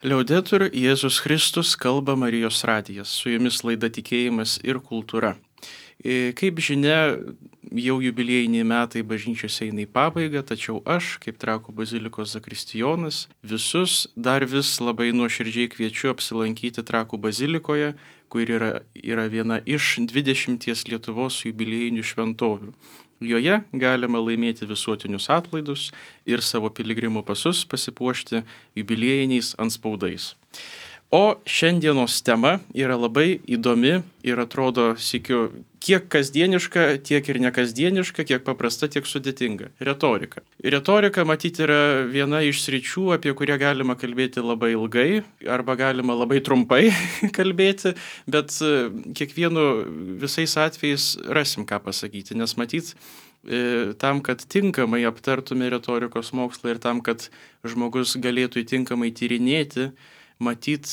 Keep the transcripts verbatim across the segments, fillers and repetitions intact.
Liaudetur Jėzus Kristus, kalba Marijos radijas, su jumis laida Tikėjimas ir kultūra. Kaip žinia, jau jubiliejiniai metai bažnyčiose eina į pabaigą, tačiau aš, kaip Trakų bazilikos zakristijonas, visus dar vis labai nuoširdžiai kviečiu apsilankyti Trakų bazilikoje, kur yra, yra viena iš dvidešimties Lietuvos jubiliejinių šventovių. Joje galima laimėti visuotinius atlaidus ir savo piligrimų pasus pasipuošti jubiliejiniais antspaudais. O šiandienos tema yra labai įdomi ir atrodo sykiu kiek kasdieniška, tiek ir nekasdieniška, kiek paprasta, tiek sudėtinga. Retorika. Retorika, matyti, yra viena iš sričių, apie kurią galima kalbėti labai ilgai arba galima labai trumpai kalbėti, bet kiekvienu visais atvejais rasim ką pasakyti, nes matyt, tam, kad tinkamai aptartume retorikos mokslą ir tam, kad žmogus galėtų tinkamai tyrinėti, matyt,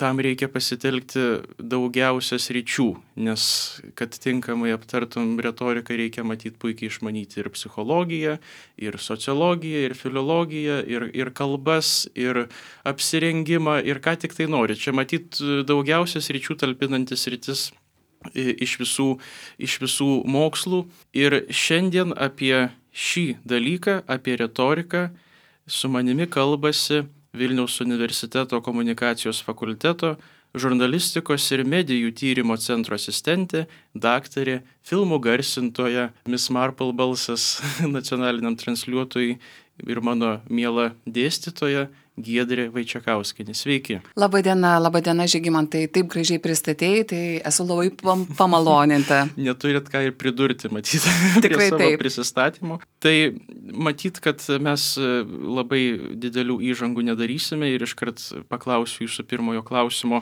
tam reikia pasitelkti daugiausia sričių, nes kad tinkamai aptartum retoriką, reikia matyti puikiai išmanyti ir psichologiją, ir sociologiją, ir filologiją, ir, ir kalbas, ir apsirengimą, ir ką tik tai nori. Čia matyti daugiausia sričių talpinantis sritis iš visų, iš visų mokslų. Ir šiandien apie šį dalyką, apie retoriką, su manimi kalbasi Vilniaus universiteto komunikacijos fakulteto žurnalistikos ir medijų tyrimo centro asistentė, daktarė, filmų garsintoja, Miss Marple balsas nacionaliniam transliuotojui ir mano miela dėstytoja Giedrė Vaičekauskienė. Sveiki. Labadiena, labadiena Žygimantai, taip gražiai pristatėjai, tai esu labai pam- pamaloninta. Neturit ką ir pridurti, matyti, prie Tikrai savo taip. prisistatymų. Tai matyt, kad mes labai didelių įžangų nedarysime ir iškart paklausiu jūsų pirmojo klausimo.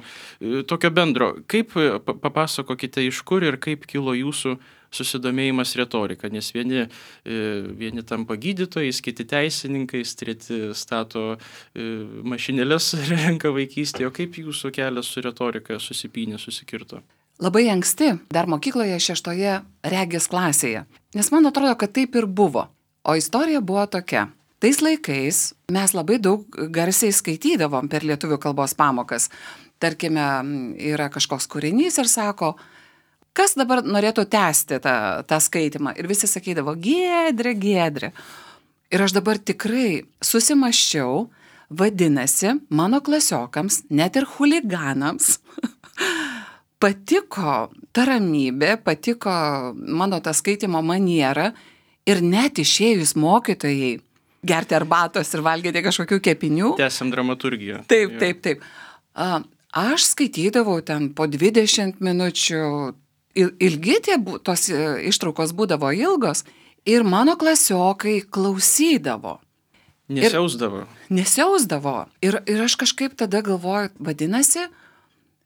Tokio bendro, kaip papasakokite iš kur ir kaip kilo jūsų susidomėjimas retorika, nes vieni, vieni tampa gydytojais, kiti teisininkais, treti stato mašinėlės renka vaikystėje. O kaip jūsų kelias su retorika susipynė, susikirto? Labai anksti, dar mokykloje šeštoje regės klasėje, nes man atrodo, kad taip ir buvo. O istorija buvo tokia. Tais laikais mes labai daug garsiai skaitydavom per lietuvių kalbos pamokas. Tarkime, yra kažkoks kūrinys ir sako, kas dabar norėtų tęsti tą, tą skaitimą? Ir visi sakydavo, Giedrė, Giedrė. Ir aš dabar tikrai susimaščiau, vadinasi, mano klasiokams, net ir chuliganams, patiko ta ramybė, patiko mano ta skaitimo maniera ir net išėjus mokytojai gerti arbatos ir valgyti kažkokių kepinių. Tęsiam dramaturgiją. Taip, taip, taip. A, aš skaitydavau ten po dvidešimt minučių. Ilgi tie tos ištraukos būdavo ilgos ir mano klasiokai klausydavo. Nesiausdavo. Ir, nesiausdavo. Ir, ir aš kažkaip tada galvoju, vadinasi,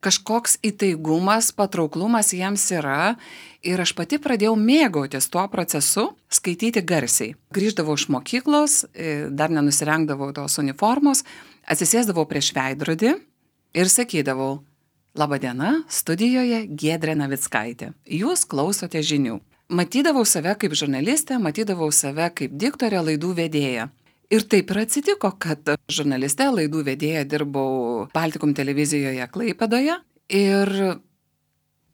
kažkoks įtaigumas, patrauklumas jiems yra ir aš pati pradėjau mėgautis tuo procesu, skaityti garsiai. Grįždavau iš mokyklos, dar nenusirengdavau tos uniformos, atsisėsdavau prieš veidrodį ir sakydavau, Labadiena, studijoje Giedrė Navickaitė. Jūs klausote žinių. Matydavau save kaip žurnalistę, matydavau save kaip diktorė, laidų vedėja. Ir taip ir atsitiko, kad žurnalistė, laidų vedėja dirbau Baltikum televizijoje Klaipėdoje. Ir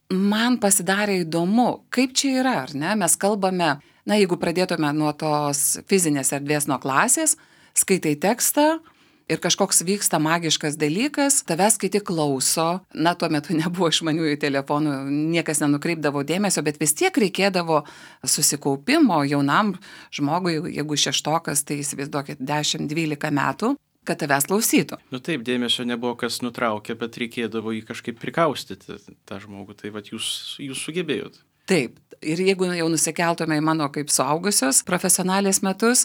man pasidarė įdomu, kaip čia yra, ar ne? Mes kalbame, na, jeigu pradėtume nuo tos fizinės erdvės, nuo klasės, skaitai tekstą, ir kažkoks vyksta magiškas dalykas, tavęs kiti klauso, na, tuo metu nebuvo išmaniųjų telefonų, niekas nenukreipdavo dėmesio, bet vis tiek reikėdavo susikaupimo jaunam žmogui, jeigu šeštokas, tai įsivaizduokit dešimt dvylika metų, kad tavęs klausytų. Nu taip, dėmesio nebuvo kas nutraukė, bet reikėdavo jį kažkaip prikaustyti tą žmogų, tai vat jūs, jūs sugebėjot. Taip, ir jeigu jau nusikeltume į mano kaip suaugusios profesionalės metus,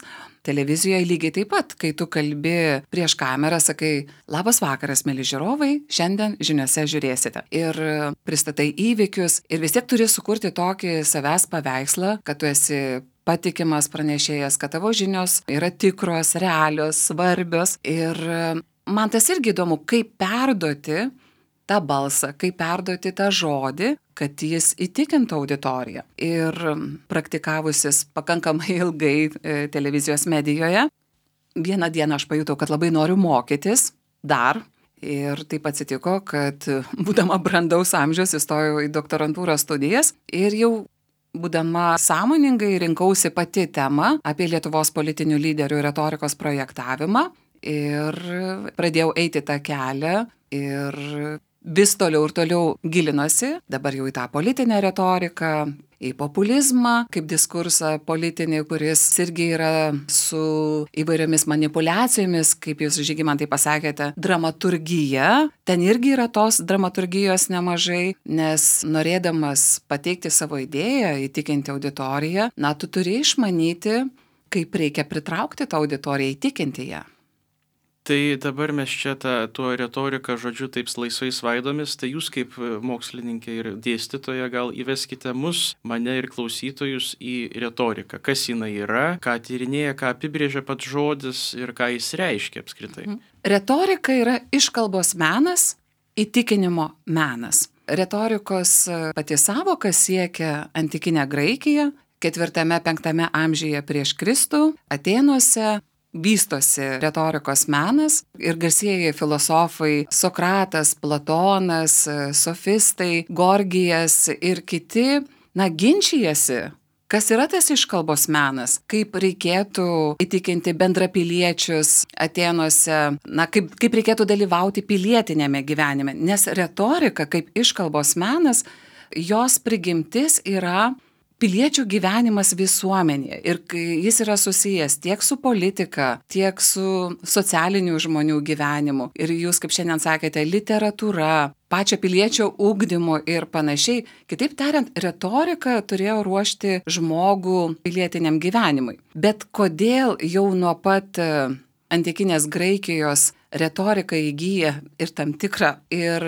televizijoje lygiai taip pat, kai tu kalbi prieš kamerą, sakai, labas vakaras, mėly žiūrovai, šiandien žiniose žiūrėsite. Ir pristatai įvykius ir vis tiek turi sukurti tokį savęs paveikslą, kad tu esi patikimas pranešėjas, kad tavo žinios yra tikros, realios, svarbios. Ir man tas irgi įdomu, kaip perduoti tą balsą, kaip perduoti tą žodį, kad jis įtikintų auditoriją. Ir praktikavusis pakankamai ilgai e, televizijos medijoje, vieną dieną aš pajutau, kad labai noriu mokytis, dar. Ir taip atsitiko, kad būdama brandaus amžiaus įstojau į doktorantūros studijas ir jau būdama sąmoningai rinkausi pati temą apie Lietuvos politinių lyderių retorikos projektavimą ir pradėjau eiti tą kelią ir vis toliau ir toliau gilinosi, dabar jau į tą politinę retoriką, į populizmą, kaip diskursą politinį, kuris irgi yra su įvairiomis manipulacijomis, kaip jūs, Žygimantai, pasakėte, dramaturgija. Ten irgi yra tos dramaturgijos nemažai, nes norėdamas pateikti savo idėją, įtikinti auditoriją, na, tu turi išmanyti, kaip reikia pritraukti tą auditoriją, įtikinti ją. Tai dabar mes čia tą, tuo retoriką, žodžiu, taip laisvai svaidomis, tai jūs kaip mokslininkė ir dėstytoja gal įveskite mus, mane ir klausytojus į retoriką. Kas jinai yra, ką tyrinėja, ką apibrėžia pats žodis ir ką jis reiškia apskritai. Retorika yra iškalbos menas, įtikinimo menas. Retorikos pati savoka siekia antikinę Graikiją, ketvirtame penktame amžiuje prieš Kristų, Atėnuose. Vystosi retorikos menas ir garsieji filosofai Sokratas, Platonas, sofistai, Gorgijas ir kiti, na, ginčijasi, kas yra tas iškalbos menas, kaip reikėtų įtikinti bendrapiliečius Atėnuose, na, kaip, kaip reikėtų dalyvauti pilietinėme gyvenime, nes retorika kaip iškalbos menas, jos prigimtis yra piliečių gyvenimas visuomenėje ir jis yra susijęs tiek su politika, tiek su socialinių žmonių gyvenimu. Ir jūs, kaip šiandien sakėte, literatūra, pačio piliečio ugdymu ir panašiai. Kitaip tariant, retorika turėjo ruošti žmogų pilietiniam gyvenimui. Bet kodėl jau nuo pat antikinės Graikijos retorika įgyja ir tam tikrą ir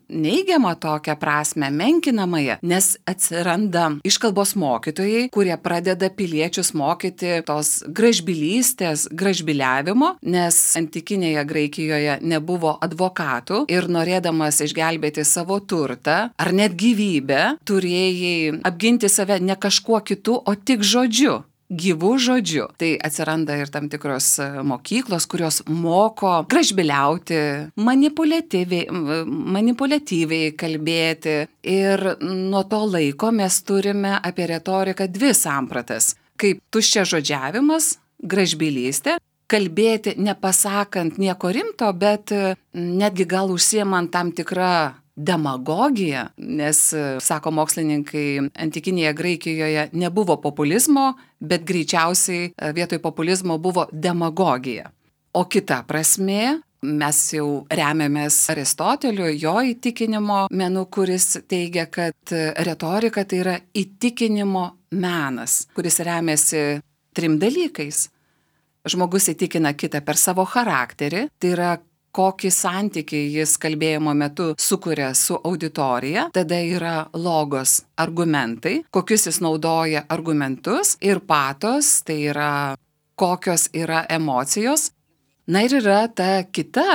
neigiamą tokią prasme, menkinamąją, nes atsiranda iškalbos mokytojai, kurie pradeda piliečius mokyti tos gražbylystės, gražbyliavimo, nes antikinėje Graikijoje nebuvo advokatų ir norėdamas išgelbėti savo turtą ar net gyvybę, turėjai apginti save ne kažkuo kitu, o tik žodžiu. Gyvų žodžių. Tai atsiranda ir tam tikros mokyklos, kurios moko gražbyliauti, manipuliatyviai, manipuliatyviai kalbėti. Ir nuo to laiko mes turime apie retoriką dvi sampratas. Kaip tuščiažodžiavimas, gražbylystė, kalbėti nepasakant nieko rimto, bet netgi gal užsiemant tam tikrą demagogija, nes, sako mokslininkai, antikinėje Graikijoje nebuvo populizmo, bet greičiausiai vietoj populizmo buvo demagogija. O kita prasmė, mes jau remiamės Aristoteliu, jo įtikinimo menu, kuris teigia, kad retorika tai yra įtikinimo menas, kuris remiasi trim dalykais. Žmogus įtikina kitą per savo charakterį, tai yra kokį santykį jis kalbėjimo metu sukuria su auditorija, tada yra logos argumentai, kokius jis naudoja argumentus ir patos, tai yra kokios yra emocijos. Na ir yra ta kita,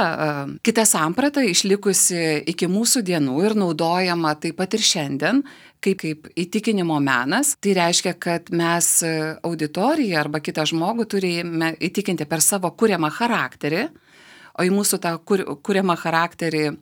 kita samprata išlikusi iki mūsų dienų ir naudojama taip pat ir šiandien, kaip, kaip įtikinimo menas. Tai reiškia, kad mes auditoriją arba kitą žmogų turime įtikinti per savo kuriamą charakterį, o į mūsų tą kur, kuriamą charakterį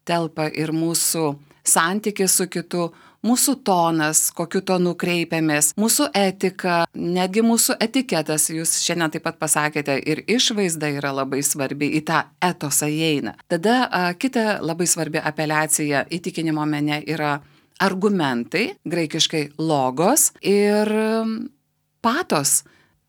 telpa ir mūsų santykis su kitu, mūsų tonas, kokiu tonu kreipiamės, mūsų etika, netgi mūsų etiketas, jūs šiandien taip pat pasakėte, ir išvaizda yra labai svarbi, į tą etosą įeina. Tada a, kita labai svarbi apeliacija įtikinimo mene yra argumentai, graikiškai logos, ir patos,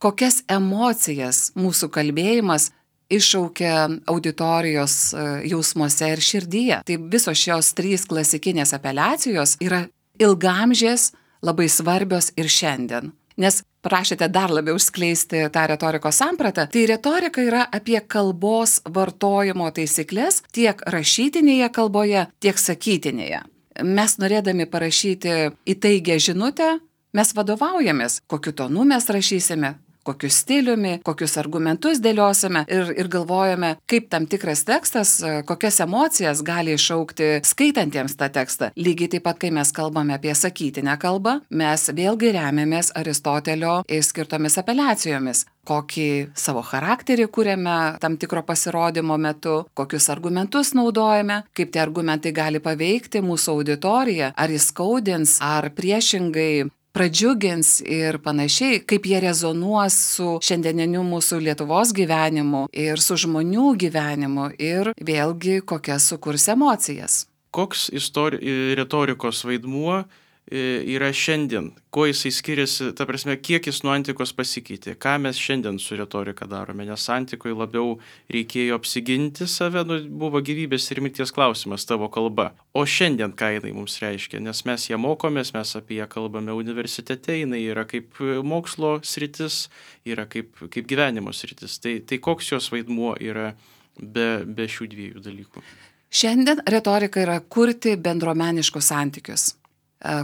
kokias emocijas mūsų kalbėjimas iššaukia auditorijos jausmuose ir širdyje. Tai visos šios trys klasikinės apeliacijos yra ilgamžės, labai svarbios ir šiandien. Nes prašėte dar labiau išskleisti tą retorikos sampratą, tai retorika yra apie kalbos vartojimo taisyklės tiek rašytinėje kalboje, tiek sakytinėje. Mes norėdami parašyti įtaigę žinutę, mes vadovaujamės, kokiu tonu mes rašysime, kokiu stiliumi, kokius argumentus dėliosime ir, ir galvojame, kaip tam tikras tekstas, kokias emocijas gali iššaukti skaitantiems tą tekstą. Lygiai taip pat, kai mes kalbame apie sakytinę kalbą, mes vėlgi remiamės Aristotelio skirtomis apeliacijomis. Kokį savo charakterį kūrėme tam tikro pasirodymo metu, kokius argumentus naudojame, kaip tie argumentai gali paveikti mūsų auditoriją, ar įskaudins, ar priešingai pradžiugins ir panašiai, kaip jie rezonuos su šiandieniniu mūsų Lietuvos gyvenimu ir su žmonių gyvenimu ir vėlgi kokias sukurs emocijas. Koks istori- retorikos vaidmuo yra šiandien, kuo jisai skiriasi, ta prasme, kiek jis nuo antikos pasikeitė, ką mes šiandien su retorika darome, nes antikoje labiau reikėjo apsiginti save, nu, buvo gyvybės ir mirties klausimas tavo kalba, o šiandien ką jinai mums reiškia, nes mes ją mokomės, mes apie ją kalbame universitete, jinai yra kaip mokslo sritis, yra kaip, kaip gyvenimo sritis, tai, tai koks jos vaidmuo yra be, be šių dviejų dalykų? Šiandien retorika yra kurti bendruomeniškus santykius.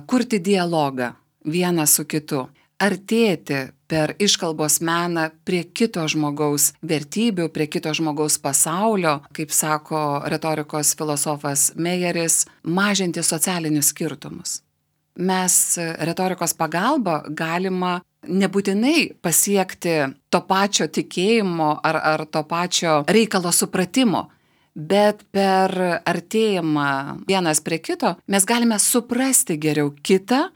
Kurti dialogą vienas su kitu, artėti per iškalbos meną prie kito žmogaus vertybių, prie kito žmogaus pasaulio, kaip sako retorikos filosofas Mejeris, mažinti socialinius skirtumus. Mes retorikos pagalba galima nebūtinai pasiekti to pačio tikėjimo ar, ar to pačio reikalo supratimo, bet per artėjimą vienas prie kito mes galime suprasti geriau kitą,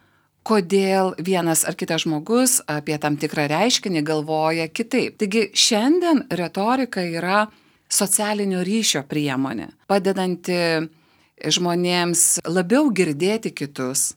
kodėl vienas ar kitas žmogus apie tam tikrą reiškinį galvoja kitaip. Taigi šiandien retorika yra socialinio ryšio priemonė, padedanti žmonėms labiau girdėti kitus,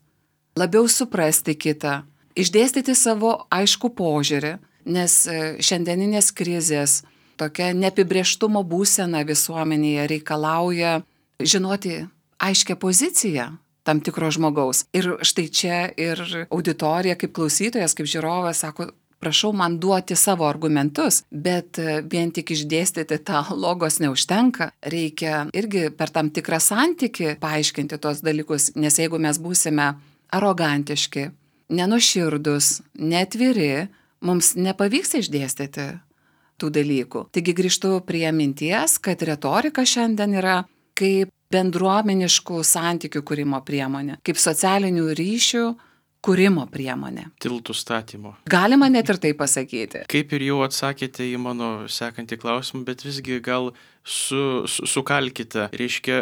labiau suprasti kitą, išdėstyti savo aiškų požiūrį, nes šiandieninės krizės tokia neapibrėžtumo būsena visuomenėje reikalauja žinoti aiškią poziciją tam tikro žmogaus. Ir štai čia ir auditorija kaip klausytojas, kaip žiūrovas sako, prašau man duoti savo argumentus, bet vien tik išdėstyti tą logos neužtenka. Reikia irgi per tam tikrą santykį paaiškinti tos dalykus, nes jeigu mes būsime arogantiški, nenuoširdūs, neatviri, mums nepavyks išdėstyti tų dalykų. Taigi grįžtu prie minties, kad retorika šiandien yra kaip bendruomeniškų santykių kūrimo priemonė, kaip socialinių ryšių kūrimo priemonė. Tiltų statymo. Galima net ir tai pasakyti. Kaip ir jau atsakėte į mano sekantį klausimą, bet visgi gal su, su, sukalkite, reiškia,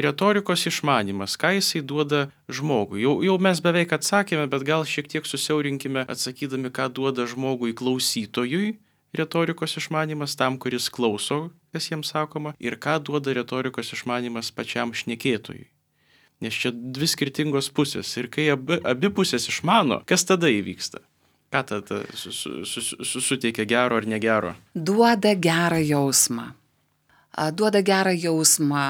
retorikos išmanimas, ką jisai duoda žmogui. Jau, jau mes beveik atsakėme, bet gal šiek tiek susiaurinkime atsakydami, ką duoda žmogui klausytojui, retorikos išmanimas tam, kuris klauso, kas jiems sakoma, ir ką duoda retorikos išmanimas pačiam šnekėtojui. Nes čia dvi skirtingos pusės. Ir kai abi, abi pusės išmano, kas tada įvyksta? Ką tada su, su, su, su, suteikia gero ar negero? Duoda gerą jausmą. Duoda gerą jausmą,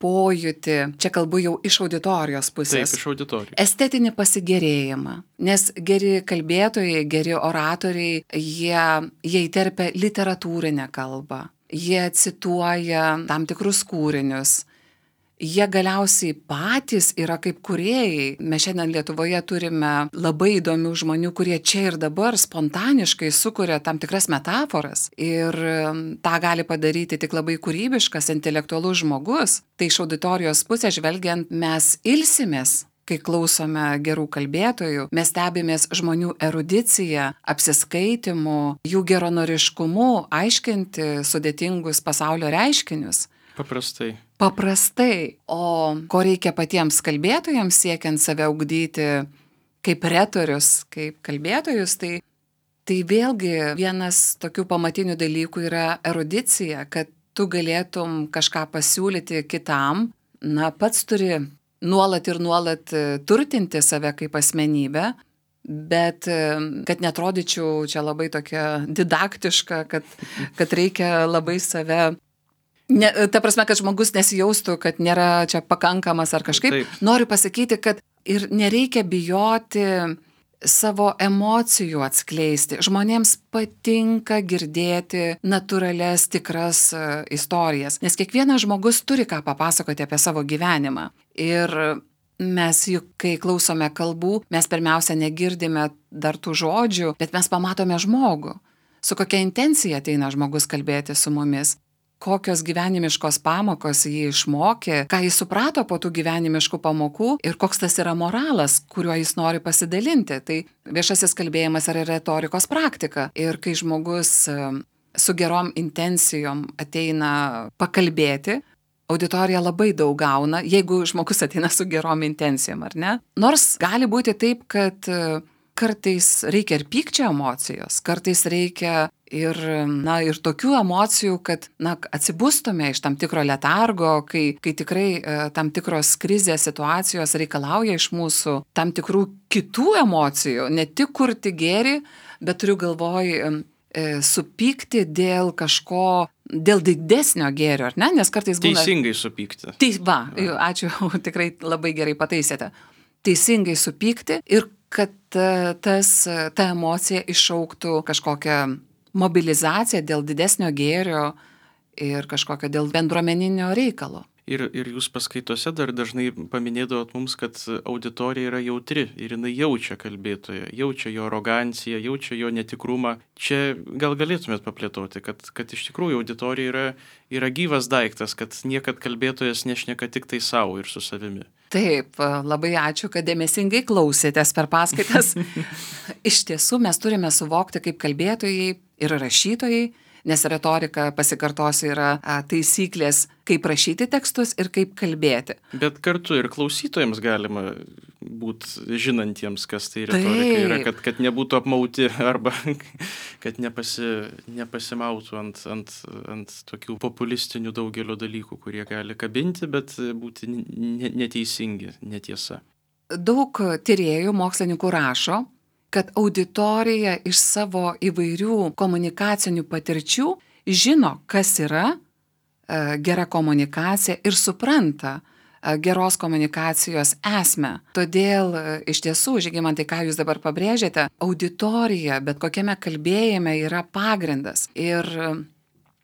pojūtį, čia kalbu jau iš auditorijos pusės. Taip, iš auditorijos. Estetinį pasigėrėjimą. Nes geri kalbėtojai, geri oratoriai, jie, jie įterpia literatūrinę kalbą. Jie cituoja tam tikrus kūrinius. Jie galiausiai patys yra kaip kūrėjai. Mes šiandien Lietuvoje turime labai įdomių žmonių, kurie čia ir dabar spontaniškai sukuria tam tikras metaforas. Ir tą gali padaryti tik labai kūrybiškas, intelektualus žmogus. Tai iš auditorijos pusės žvelgiant, mes ilsimės, kai klausome gerų kalbėtojų. Mes stebimės žmonių erudiciją, apsiskaitimu, jų geranoriškumu, aiškinti sudėtingus pasaulio reiškinius. Paprastai. Paprastai. O ko reikia patiems kalbėtojams siekiant save ugdyti kaip retorius, kaip kalbėtojus, tai, tai vėlgi vienas tokių pamatinių dalykų yra erudicija, kad tu galėtum kažką pasiūlyti kitam, na, pats turi nuolat ir nuolat turtinti save kaip asmenybę, bet kad netrodyčiau čia labai tokia didaktiška, kad, kad reikia labai save... Ne, ta prasme, kad žmogus nesijaustų, kad nėra čia pakankamas ar kažkaip. Taip. Noriu pasakyti, kad ir nereikia bijoti savo emocijų atskleisti. Žmonėms patinka girdėti natūralias, tikras istorijas, nes kiekvienas žmogus turi ką papasakoti apie savo gyvenimą. Ir mes juk, kai klausome kalbų, mes pirmiausia negirdime dar tų žodžių, bet mes pamatome žmogų. su kokia intencija ateina žmogus kalbėti su mumis, kokios gyvenimiškos pamokos jį išmokė, ką jis suprato po tų gyvenimiškų pamokų ir koks tas yra moralas, kuriuo jis nori pasidalinti. Tai viešasis kalbėjimas yra retorikos praktika. Ir kai žmogus su gerom intencijom ateina pakalbėti, auditorija labai daug gauna, jeigu žmogus ateina su gerom intencijom, ar ne? Nors gali būti taip, kad kartais reikia ir pykčio emocijos, kartais reikia ir, na, ir tokių emocijų, kad, na, atsibustume iš tam tikro letargo, kai, kai tikrai e, tam tikros krizės situacijos reikalauja iš mūsų tam tikrų kitų emocijų, ne tik kurti gėrį, bet turiu galvoj e, supykti dėl kažko, dėl didesnio gėrio, ar ne? Nes kartais būna... Teisingai supykti. Tai va, ačiū, tikrai labai gerai pataisėte. Teisingai supykti ir kad tas, ta emocija iššauktų kažkokią mobilizaciją dėl didesnio gėrio ir kažkokio dėl bendruomeninio reikalo. Ir, ir jūs paskaitose dar dažnai paminėdavot mums, kad auditorija yra jautri ir jinai jaučia kalbėtoją, jaučia jo aroganciją, jaučia jo netikrumą. Čia gal galėtumėt paplėtoti, kad, kad iš tikrųjų auditorija yra, yra gyvas daiktas, kad niekad kalbėtojas nešneka tik tai savo ir su savimi. Taip, labai ačiū, kad dėmesingai klausėtės per paskaitas. Iš tiesų mes turime suvokti kaip kalbėtojai ir rašytojai, nes retorika, pasikartosiu, yra taisyklės, kaip rašyti tekstus ir kaip kalbėti. Bet kartu ir klausytojams galima būti žinantiems, kas tai retorika yra, kad, kad nebūtų apmauti arba kad nepasi, nepasimautų ant, ant, ant tokių populistinių daugelio dalykų, kurie gali kabinti, bet būti neteisingi, netiesa. Daug tyrėjų, mokslininkų rašo, kad auditorija iš savo įvairių komunikacinių patirčių žino, kas yra e, gera komunikacija ir supranta e, geros komunikacijos esmę. Todėl e, iš tiesų, Žygimantai, ką jūs dabar pabrėžėte, auditorija bet kokiame kalbėjime yra pagrindas. Ir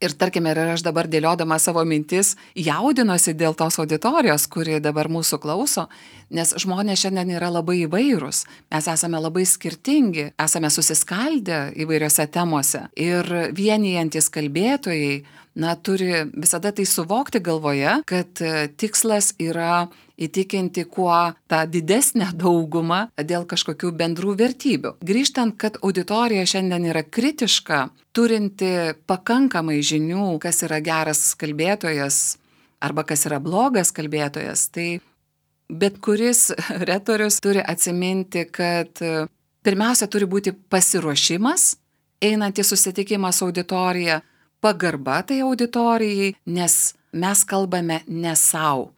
Ir tarkime, ir aš dabar dėliodama savo mintis jaudinosi dėl tos auditorijos, kuri dabar mūsų klauso, nes žmonės šiandien yra labai įvairūs, mes esame labai skirtingi, esame susiskaldę įvairiose temose ir vienijantis kalbėtojai, na, turi visada tai suvokti galvoje, kad tikslas yra įtikinti kuo tą didesnę daugumą dėl kažkokių bendrų vertybių. Grįžtant, kad auditorija šiandien yra kritiška, turinti pakankamai žinių, kas yra geras kalbėtojas arba kas yra blogas kalbėtojas, tai bet kuris retorius turi atsiminti, kad pirmiausia turi būti pasiruošimas, einant į susitikimą su auditorija, pagarba tai auditorijai, nes mes kalbame ne sau.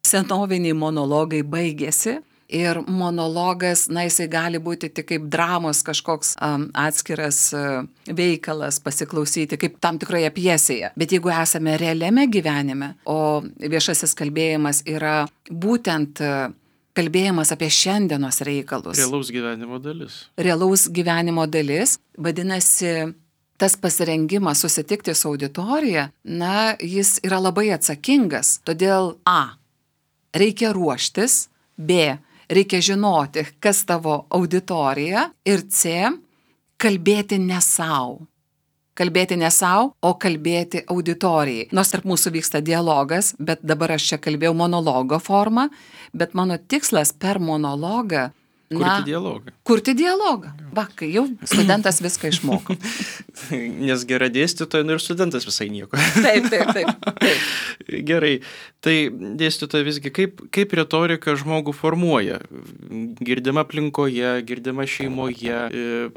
Senoviniai monologai baigėsi ir monologas, na, jisai gali būti tik kaip dramos kažkoks um, atskiras uh, veikalas pasiklausyti, kaip tam tikroje pjesėje. Bet jeigu esame realiame gyvenime, o viešasis kalbėjimas yra būtent uh, kalbėjimas apie šiandienos reikalus. Realaus gyvenimo dalis. Realaus gyvenimo dalis, vadinasi, tas pasirengimas susitikti su auditorija, na, jis yra labai atsakingas. Todėl A. Reikia ruoštis, B. Reikia žinoti, kas tavo auditorija ir C. Kalbėti ne sau. Kalbėti ne sau, o kalbėti auditorijai. Nors tarp mūsų vyksta dialogas, bet dabar aš čia kalbėjau monologo formą, bet mano tikslas per monologą Kurti Na, dialogą. Kurti dialogą. Va, kai jau studentas viską išmoko. Nes gera dėstytoja, nu ir studentas visai nieko. Taip, taip, taip. taip. Gerai. Tai dėstytoja visgi, kaip, kaip retorika žmogų formuoja? Girdima aplinkoje, girdima šeimoje,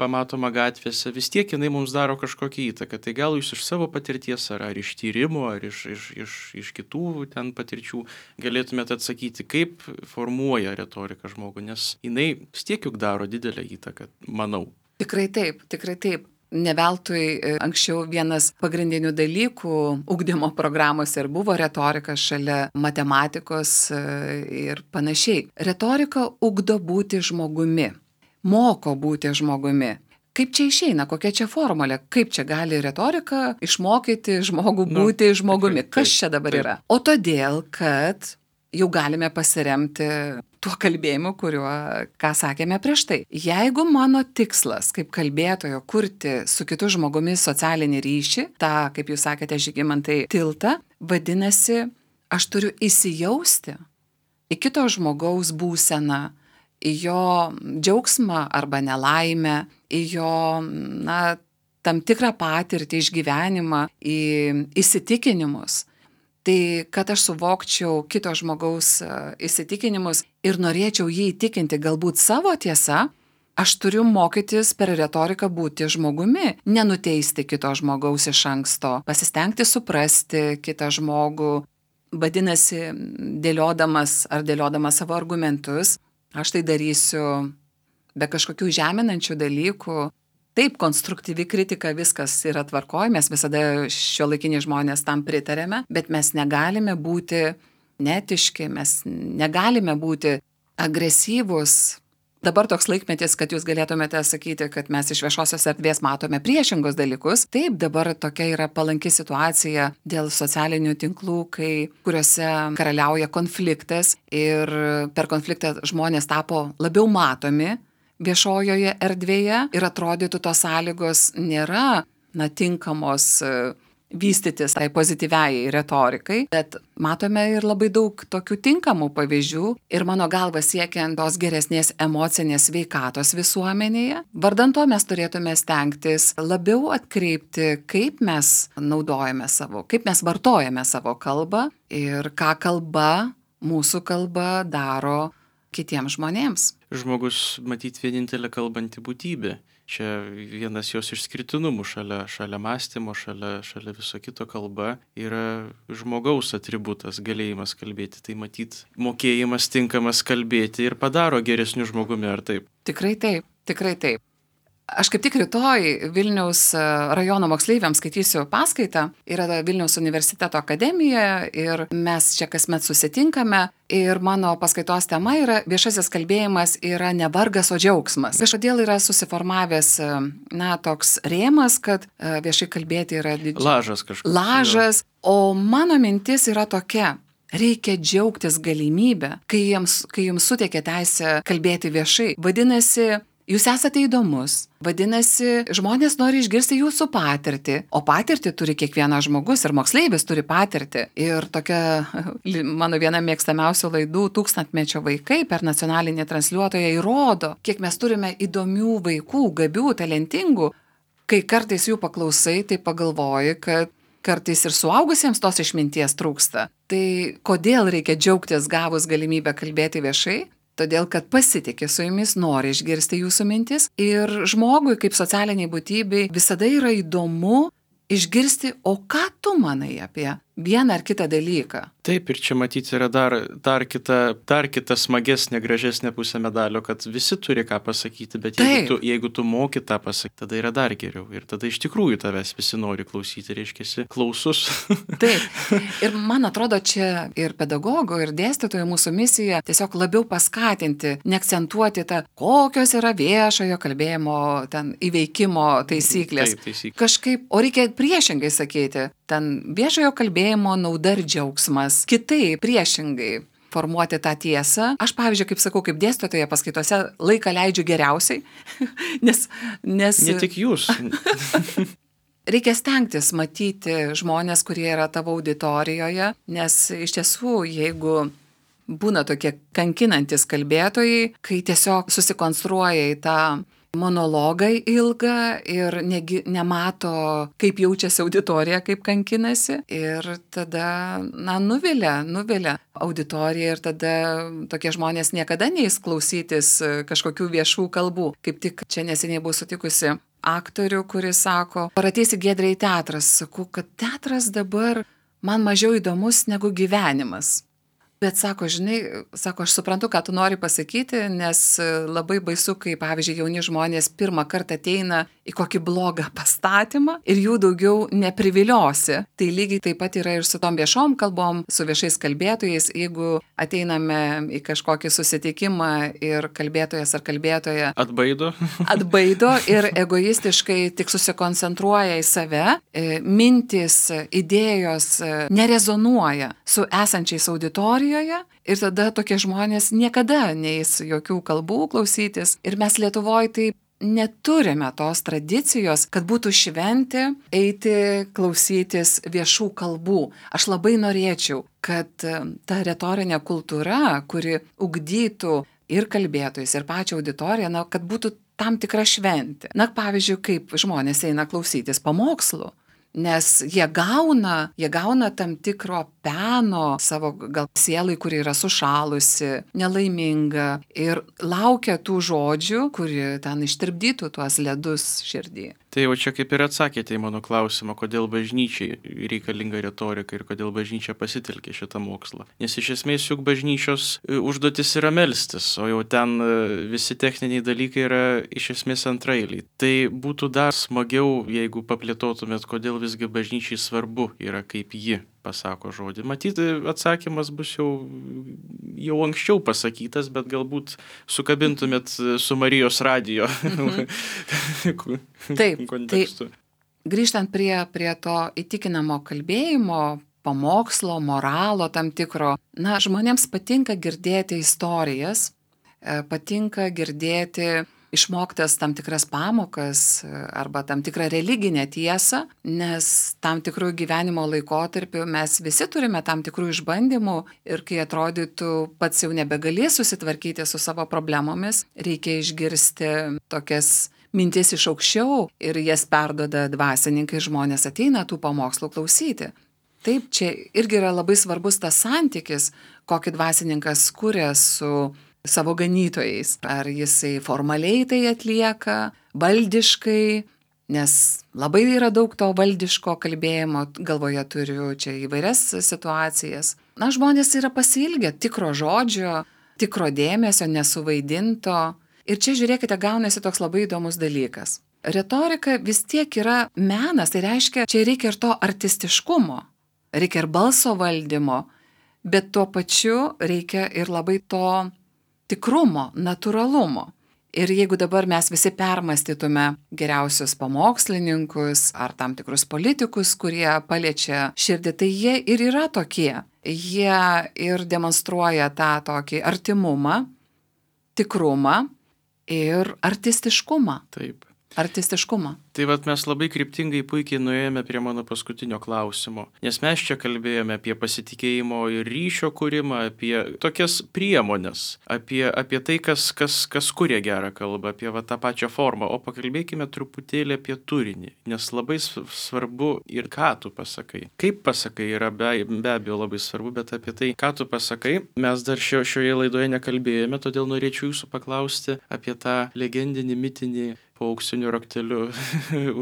pamatoma gatvėse, vis tiek jinai mums daro kažkokią įtaką. Tai gal jūs iš savo patirties, ar, ar iš tyrimų, ar iš, iš, iš, iš kitų ten patirčių galėtumėte atsakyti, kaip formuoja retorika žmogų, nes jinai vis tiek juk daro didelę įtaką, manau. Tikrai taip, tikrai taip. Neveltui anksčiau vienas pagrindinių dalykų ugdymo programose ir buvo retorika šalia matematikos ir panašiai. Retorika ugdo būti žmogumi, moko būti žmogumi. Kaip čia išeina, kokia čia formulė, kaip čia gali retorika išmokyti žmogų būti nu, žmogumi, kas čia dabar taip. Yra? O todėl, kad jau galime pasiremti tuo kalbėjimu, kuriuo, ką sakėme prieš tai. Jeigu mano tikslas kaip kalbėtojo kurti su kitu žmogumi socialinį ryšį, tą, kaip jūs sakėte, Žygimantai, tiltą, vadinasi, aš turiu įsijausti į kito žmogaus būseną, į jo džiaugsmą arba nelaimę, į jo, na, tam tikrą patirtį, išgyvenimą, į įsitikinimus. Tai kad aš suvokčiau kito žmogaus įsitikinimus ir norėčiau jį įtikinti galbūt savo tiesa, aš turiu mokytis per retoriką būti žmogumi, nenuteisti kito žmogaus iš anksto, pasistengti suprasti kitą žmogų, vadinasi, dėliodamas ar dėliodamas savo argumentus, aš tai darysiu be kažkokių žeminančių dalykų. Taip, konstruktyvi kritika, viskas yra tvarkoj, mes visada šiuolaikiniai žmonės tam pritarėme, bet mes negalime būti netiški, mes negalime būti agresyvūs. Dabar toks laikmetis, kad jūs galėtumėte sakyti, kad mes iš viešosios erdvės matome priešingus dalykus. Taip, dabar tokia yra palanki situacija dėl socialinių tinklų, kai, kuriuose karaliauja konfliktas ir per konfliktą žmonės tapo labiau matomi viešojoje erdvėje ir atrodytų tos sąlygos nėra, na, tinkamos vystytis tai pozityviai retorikai, bet matome ir labai daug tokių tinkamų pavyzdžių ir mano galva siekiant tos geresnės emocinės sveikatos visuomenėje. Vardan to mes turėtume stengtis labiau atkreipti, kaip mes naudojame savo, kaip mes vartojame savo kalbą ir ką kalba, mūsų kalba daro kitiems žmonėms. Žmogus, matyt, vienintelė kalbanti būtybė. Čia vienas jos išskirtinumų šalia, šalia mąstymo, šalia, šalia viso kito kalba yra žmogaus atributas, galėjimas kalbėti. Tai matyt, mokėjimas tinkamas kalbėti ir padaro geresniu žmogumi, ar taip? Tikrai taip, tikrai taip. Aš kaip tik rytoj Vilniaus rajono moksleiviams skaitysiu paskaitą, yra Vilniaus universiteto akademija ir mes čia kasmet susitinkame ir mano paskaitos tema yra viešasis kalbėjimas yra ne vargas, o džiaugsmas. Kažkodėl yra susiformavęs, na, toks rėmas, kad viešai kalbėti yra didžiulis. Lažas kažkoks. Lažas, o mano mintis yra tokia. Reikia džiaugtis galimybę, kai jums, kai jums suteikia teisę kalbėti viešai. Vadinasi, jūs esate įdomus, vadinasi, žmonės nori išgirsti jūsų patirtį, o patirtį turi kiekvienas žmogus ir moksleivis turi patirtį. Ir tokia mano viena mėgstamiausių laidų Tūkstantmečio vaikai per nacionalinį transliuotoją įrodo, kiek mes turime įdomių vaikų, gabių, talentingų. Kai kartais jų paklausai, tai pagalvoji, kad kartais ir suaugusiems tos išminties trūksta. Tai kodėl reikia džiaugtis gavus galimybę kalbėti viešai? Todėl, kad pasitikė su jumis, nori išgirsti jūsų mintis ir žmogui kaip socialiniai būtybei visada yra įdomu išgirsti, o ką tu manai apie vieną ar kitą dalyką. Taip, ir čia matyti yra dar, dar, kita, dar kita smagesnė, gražesnė pusė medalio, kad visi turi ką pasakyti, bet jeigu tu, jeigu tu moki tą pasakyti, tada yra dar geriau. Ir tada iš tikrųjų tavęs visi nori klausyti, reiškiasi klausus. Taip. Ir man atrodo, čia ir pedagogo, ir dėstytojo mūsų misija tiesiog labiau paskatinti, neakcentuoti tą, kokios yra viešojo kalbėjimo ten įveikimo taisyklės. Taip, taisyklės. Kažkaip, o reikia priešingai sakyti, ten viešojo kalbėjimo nauda ir džiaugsmas. Kitaip, priešingai formuoti tą tiesą. Aš, pavyzdžiui, kaip sakau, kaip dėstytoja paskaitose laiką leidžiu geriausiai, nes, nes... Ne tik jūs. Reikia stengtis matyti žmonės, kurie yra tavo auditorijoje, nes iš tiesų, jeigu būna tokie kankinantis kalbėtojai, kai tiesiog susikonstruoja į tą monologą ilgą ir negi, nemato, kaip jaučiasi auditorija, kaip kankinasi. Ir tada, na, nuvilia, nuvilia auditorija ir tada tokie žmonės niekada neis klausytis kažkokių viešų kalbų. Kaip tik čia neseniai buvau sutikusi aktorių, kuris sako, ar ateisi Giedrė į teatrą, sakau, kad teatras dabar man mažiau įdomus negu gyvenimas. Bet sako, žinai, sako, aš suprantu, ką tu nori pasakyti, nes labai baisu, kai, pavyzdžiui, jauni žmonės pirmą kartą ateina į kokį blogą pastatymą ir jų daugiau nepriviliosi. Tai lygiai taip pat yra ir su tom viešom kalbom, su viešais kalbėtojais. Jeigu ateiname į kažkokį susitikimą ir kalbėtojas ar kalbėtoja atbaido, atbaido ir egoistiškai tik susikoncentruoja į save, mintis, idėjos nerezonuoja su esančiais auditorijais, auditorijoje ir tada tokie žmonės niekada neis jokių kalbų klausytis. Ir mes Lietuvoje tai neturime tos tradicijos, kad būtų šventė eiti klausytis viešų kalbų. Aš labai norėčiau, kad ta retorinė kultūra, kuri ugdytų ir kalbėtojus, ir pačią auditoriją, na, kad būtų tam tikra šventė. Na, pavyzdžiui, kaip žmonės eina klausytis pamokslų. Nes jie gauna, jie gauna tam tikro peno savo gal sielai, kuri yra sušalusi, nelaiminga ir laukia tų žodžių, kuri ten ištirpdytų tuos ledus širdį. Tai jau čia kaip ir atsakėte į mano klausimą, kodėl bažnyčiai reikalinga retorika ir kodėl bažnyčia pasitelkė šitą mokslą. Nes iš esmės juk bažnyčios užduotis yra melstis, o jau ten visi techniniai dalykai yra iš esmės antraeiliai. Tai būtų dar smagiau, jeigu paplėtotumėt, kodėl visgi bažnyčiai svarbu yra, kaip ji pasako žodį. Matyti, atsakymas bus jau, jau anksčiau pasakytas, bet galbūt sukabintumėt su Marijos radijo mhm. Taip, kontekstu. Tai grįžtant prie, prie to įtikinamo kalbėjimo, pamokslo, moralo tam tikro, na, žmonėms patinka girdėti istorijas, patinka girdėti išmoktas tam tikras pamokas arba tam tikrą religinę tiesą, nes tam tikrų gyvenimo laikotarpių mes visi turime tam tikrų išbandymų ir kai atrodytų pats jau nebegalės susitvarkyti su savo problemomis, reikia išgirsti tokias mintis iš aukščiau ir jas perduoda dvasininkai, žmonės ateina tų pamokslų klausyti. Taip, čia irgi yra labai svarbus tas santykis, kokį dvasininkas kuria su savo ganytojais. Ar jisai formaliai tai atlieka, valdiškai, nes labai yra daug to valdiško kalbėjimo, galvoje turiu čia įvairias situacijas. Na, žmonės yra pasiilgę tikro žodžio, tikro dėmesio, nesuvaidinto. Ir čia, žiūrėkite, gaunasi toks labai įdomus dalykas. Retorika vis tiek yra menas, tai reiškia, čia reikia ir to artistiškumo, reikia ir balso valdymo, bet tuo pačiu reikia ir labai to tikrumo, natūralumo. Ir jeigu dabar mes visi permastytume geriausius pamokslininkus ar tam tikrus politikus, kurie paliečia širdį, tai jie ir yra tokie. Jie ir demonstruoja tą tokį artimumą, tikrumą ir artistiškumą. Taip. Artistiškumą. Tai vat mes labai kryptingai puikiai nuėjome prie mano paskutinio klausimo, nes mes čia kalbėjome apie pasitikėjimo ir ryšio kūrimą, apie tokias priemonės, apie, apie tai, kas, kas, kas kuria gerą kalbą, apie va, tą pačią formą, o pakalbėkime truputėlį apie turinį, nes labai svarbu ir ką tu pasakai. Kaip pasakai yra be, be abejo labai svarbu, bet apie tai, ką tu pasakai, mes dar šio, šioje laidoje nekalbėjome, todėl norėčiau jūsų paklausti apie tą legendinį, mitinį po auksiniu rakteliu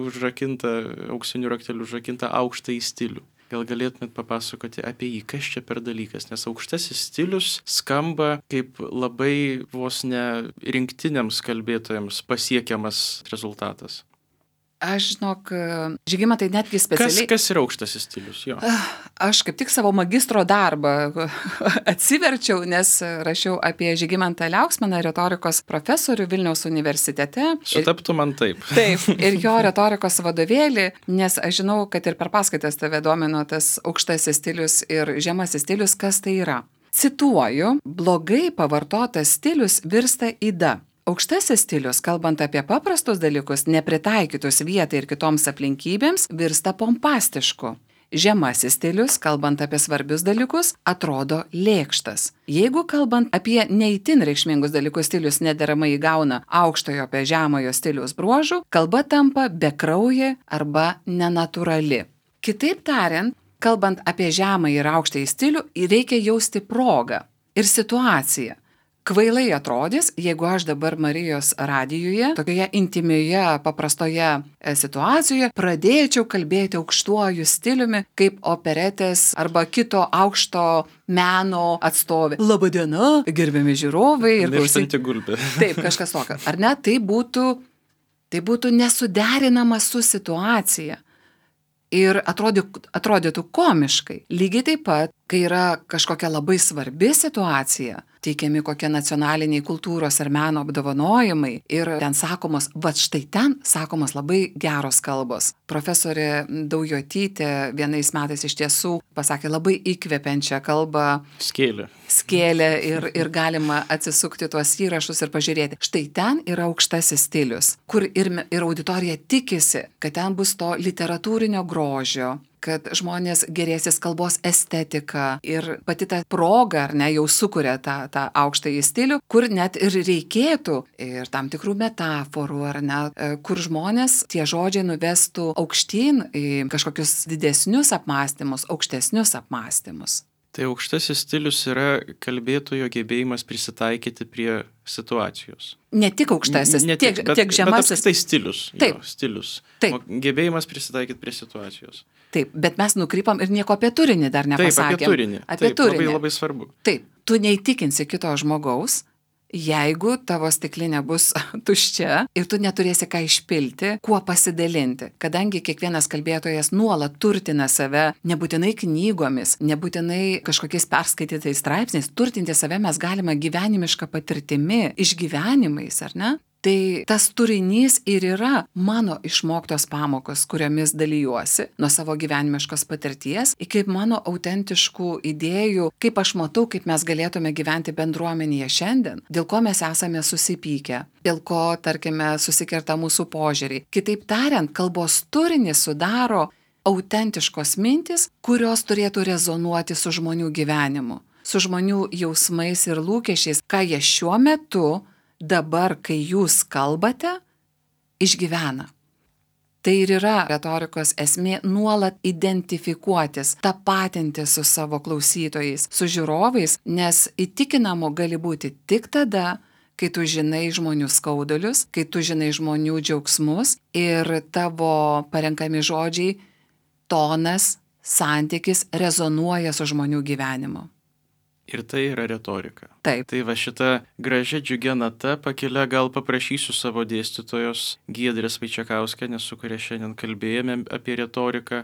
užrakintą, auksiniu rakteliu užrakintą aukštąjį stilių. Gal galėtumėt papasakoti apie jį, kas čia per dalykas, nes aukštasis stilius skamba kaip labai vos ne rinktiniams kalbėtojams pasiekiamas rezultatas. Aš žinok, Žygimantai netgi specialiai... Kas, kas yra aukštasis stilius? Jo. Aš kaip tik savo magistro darbą atsiverčiau, nes rašiau apie Žygimantą Liauksminą, retorikos profesorių Vilniaus universitete. Sutaptų man taip. Taip, ir jo retorikos vadovėlį, nes aš žinau, kad ir per paskaitas tave domino tas aukštasis stilius ir žemasis stilius, kas tai yra. Cituoju, blogai pavartotas stilius virsta yda. Aukštasis stilius, kalbant apie paprastus dalykus, nepritaikytus vietai ir kitoms aplinkybėms, virsta pompastišku. Žemasis stilius, kalbant apie svarbius dalykus, atrodo lėkštas. Jeigu kalbant apie neįtin reikšmingus dalykus stilius nederamai įgauna aukštojo apie žemojo stiliaus bruožų, kalba tampa bekraujė arba nenatūrali. Kitaip tariant, kalbant apie žemą ir aukštąjį stilių, reikia jausti progą ir situaciją. Kvailai atrodys, jeigu aš dabar Marijos radijuje, tokioje intimioje, paprastoje situacijoje, pradėčiau kalbėti aukštuoju stiliumi, kaip operetės arba kito aukšto meno atstovė. Labadiena, gerbiami žiūrovai. Ir mirštanti gulbė. Taip, kažkas tokio. Ar ne? Tai būtų, tai būtų nesuderinama su situacija. Ir atrodytų, atrodytų komiškai. Lygiai taip pat, kai yra kažkokia labai svarbi situacija, teikiami kokie nacionaliniai kultūros ar meno apdovanojimai ir ten sakomos, va štai ten sakomos labai geros kalbos. Profesorė Daujotytė vienais metais iš tiesų pasakė labai įkvepiančią kalbą. Skėlė. Skėlė ir, ir galima atsisukti tuos įrašus ir pažiūrėti. Štai ten yra aukštasis stilius, kur ir, ir auditorija tikisi, kad ten bus to literatūrinio grožio, kad žmonės gerėsis kalbos estetika ir pati ta proga, ar ne, jau sukuria tą, tą aukštąjį stilių, kur net ir reikėtų ir tam tikrų metaforų, ar ne, kur žmonės tie žodžiai nuvestų aukštyn į kažkokius didesnius apmąstymus, aukštesnius apmąstymus. Tai aukštasis stilius yra kalbėtojo gebėjimas prisitaikyti prie situacijos. Ne tik aukštasis, ne, ne tiek, bet, tiek žemasis. Bet tai stilius. Taip. Jo, stilius. Taip. Gebėjimas prisitaikyti prie situacijos. Taip, bet mes nukrypam ir nieko apie turinį dar nepasakėm. Taip, apie turinį. Apie Taip, turinį. Labai, labai svarbu. Taip, tu neįtikinsi kito žmogaus, jeigu tavo stiklinė bus tuščia ir tu neturėsi ką išpilti, kuo pasidalinti. Kadangi kiekvienas kalbėtojas nuolat turtina save, nebūtinai knygomis, nebūtinai kažkokiais perskaitytais straipsniais, turtinti save mes galime gyvenimišką patirtimi, išgyvenimais, ar ne? Tai tas turinys ir yra mano išmoktos pamokos, kuriomis dalyjuosi nuo savo gyvenimiškos patirties, iki mano autentiškų idėjų, kaip aš matau, kaip mes galėtume gyventi bendruomenėje šiandien, dėl ko mes esame susipykę, dėl ko, tarkime, susikerta mūsų požiūriai. Kitaip tariant, kalbos turinį sudaro autentiškos mintis, kurios turėtų rezonuoti su žmonių gyvenimu, su žmonių jausmais ir lūkesčiais, ką jie šiuo metu dabar, kai jūs kalbate, išgyvena. Tai ir yra retorikos esmė nuolat identifikuotis, tapatinti su savo klausytojais, su žiūrovais, nes įtikinamu gali būti tik tada, kai tu žinai žmonių skaudulius, kai tu žinai žmonių džiaugsmus ir tavo parenkami žodžiai, tonas, santykis rezonuoja su žmonių gyvenimu. Ir tai yra retorika. Taip. Tai va šita gražia džiugia nata pakelia gal paprašysiu savo dėstytojos Giedrės Vaičekauskienės, su kuria šiandien kalbėjome apie retoriką,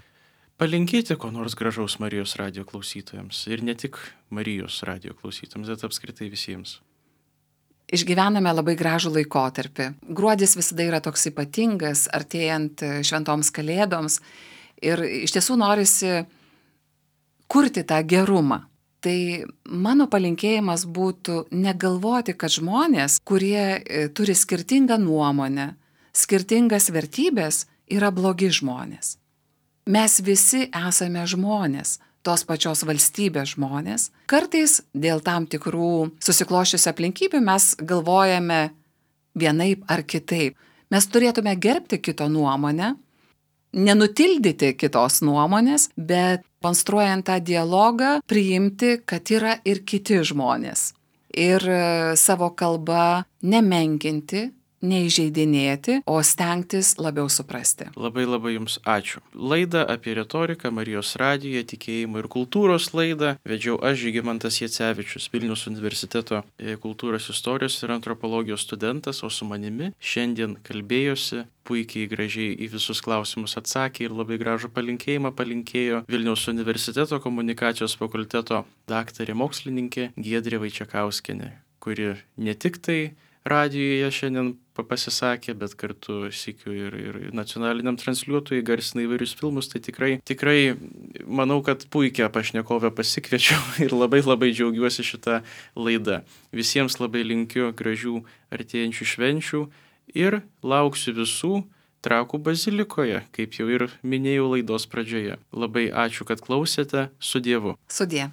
palinkėti ko nors gražaus Marijos radijo klausytojams. Ir ne tik Marijos radijo klausytojams, bet apskritai visiems. Išgyvename labai gražų laikotarpį. Gruodis visada yra toks ypatingas, artėjant šventoms kalėdoms. Ir iš tiesų norisi kurti tą gerumą. Tai mano palinkėjimas būtų negalvoti, kad žmonės, kurie turi skirtingą nuomonę, skirtingas vertybės, yra blogi žmonės. Mes visi esame žmonės, tos pačios valstybės žmonės. Kartais dėl tam tikrų susikloščiusių aplinkybių mes galvojame vienaip ar kitaip. Mes turėtume gerbti kito nuomonę, nenutildyti kitos nuomonės, bet konstruojant tą dialogą, priimti, kad yra ir kiti žmonės. Ir savo kalbą nemenkinti, neįžeidinėti, o stengtis labiau suprasti. Labai labai Jums ačiū. Laidą apie retoriką Marijos radijoje, tikėjimo ir kultūros laidą vedžiau aš, Žygimantas Jacevičius, Vilniaus universiteto kultūros istorijos ir antropologijos studentas, o su manimi šiandien kalbėjosi, puikiai gražiai į visus klausimus atsakė ir labai gražų palinkėjimą palinkėjo Vilniaus universiteto komunikacijos fakulteto daktarė mokslininkė Giedrė Vaičekauskienė, kuri ne tik tai radijoje šiandien pasisakė, bet kartu sykiu ir, ir nacionaliniam transliuotojui garsina įvairius filmus, tai tikrai, tikrai manau, kad puikią pašnekovę pasikviečiau ir labai labai džiaugiuosi šitą laidą. Visiems labai linkiu gražių artėjančių švenčių ir lauksiu visų Trakų bazilikoje, kaip jau ir minėjau laidos pradžioje. Labai ačiū, kad klausėte. Su Dievu. Sudie.